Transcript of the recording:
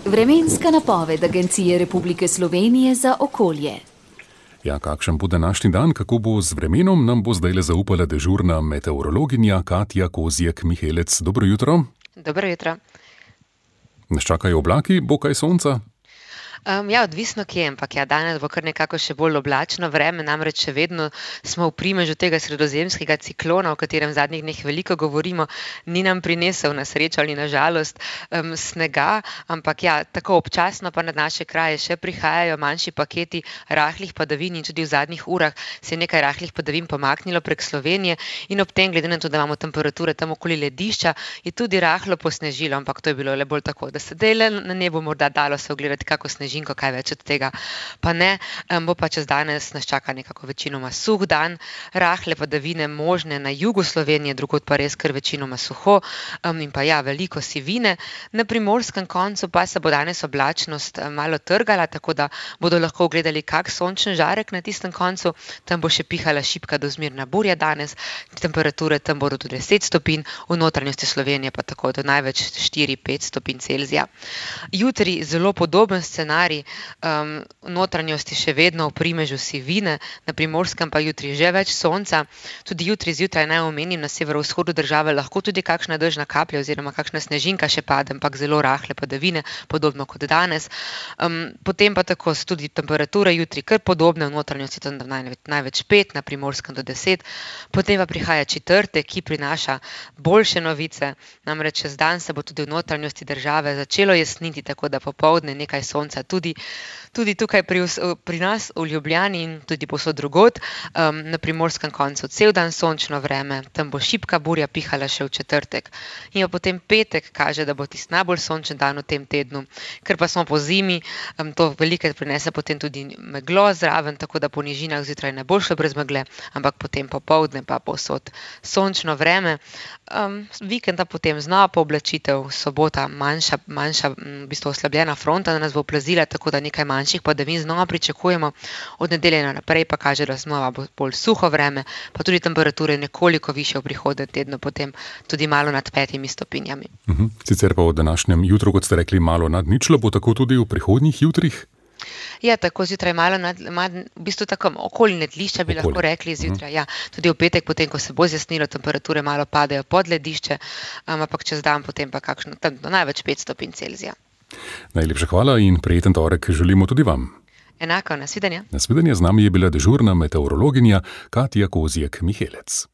Vremenska napoved Agencije Republike Slovenije za okolje. Ja, kakšen bo današnji dan, kako bo z vremenom, nam bo zdajle zaupala dežurna meteorologinja Katja Kozjek-Mihelec. Dobro jutro. Dobro jutro. Nas čakajo oblaki, bo kaj sonca? Odvisno kje, ampak danes bo kar nekako še bolj oblačno vreme, namreč še vedno smo v primežu tega sredozemskega ciklona, o katerem v zadnjih dneh veliko govorimo, ni nam prinesel na srečo ali na žalost snega, ampak tako občasno pa na naše kraje še prihajajo manjši paketi rahlih padavin in tudi v zadnjih urah se je nekaj rahlih padavin pomaknilo prek Slovenije in ob tem, glede na to, da imamo temperature tam okoli ledišča, je tudi rahlo posnežilo, ampak to je bilo le bolj tako, da se dele na nebu morda dalo se ogledati kako sneži. Kaj več od tega pa ne, bo pa čez danes nas čaka nekako večinoma suh dan, rahle padavine možne na jugu Slovenije, drugod pa res kar večinoma suho in pa veliko sivine. Na primorskem koncu pa se bo danes oblačnost malo trgala, tako da bodo lahko gledali kak sončen žarek na tistem koncu, tam bo še pihala šibka do zmerna burja danes, temperature tam bodo do 10 stopinj, v notranjosti Slovenije pa tako do največ 4-5 stopinj Celzija. Jutri zelo podoben scenarij, v notranjosti še vedno v primežu sivine, na primorskem pa jutri že več sonca. Tudi jutri zjutraj naj omenim, na severovzhodu države lahko tudi kakšna dežna kaplja oziroma kakšna snežinka še pade, ampak zelo rahle padavine, podobno kot danes. Potem pa tako so tudi temperature jutri kar podobne, v notranjosti tam največ 5, na primorskem do 10. Potem pa prihaja četrtek, ki prinaša boljše novice, namreč čez dan se bo tudi v notranjosti države začelo jesniti, tako da popoldne nekaj sonca tudi tukaj pri nas v Ljubljani in tudi povsod drugod, na primorskem koncu cel dan sončno vreme, tam bo šibka burja pihala še v četrtek. In pa potem petek kaže, da bo tisti najbolj sončen dan v tem tednu, ker pa smo po zimi, to velikokrat prinese potem tudi meglo zraven, tako da po nižinah zjutraj ne bo šlo brez megle, ampak potem popoldne pa povsod sončno vreme. Vikenda potem znova pooblačitev, sobota manjša v bistvu oslabljena fronta nas bo oplazila, tako da nekaj manjših padavin znova pričakujemo, od nedelje naprej pa kaže, da znova bo bolj suho vreme, pa tudi temperature nekoliko višje v prihodnjem tednu, potem tudi malo nad 5 stopinjami. Sicer pa v današnjem jutru, kot ste rekli, malo nad ničlo, bo tako tudi v prihodnjih jutrih? Tako zjutraj malo v bistvu tako okoli nedlišča bi lahko rekli zjutraj, tudi v petek, potem ko se bo zjasnilo, temperature malo padajo pod ledišče, ampak čez dan potem pa kakšno tam do največ 5 stopinj Celzija. Najlepša hvala in prijeten torek želimo tudi vam. Enako, nasvidenje. Nasvidenje, z nami je bila dežurna meteorologinja Katja Kozjek-Mihelec.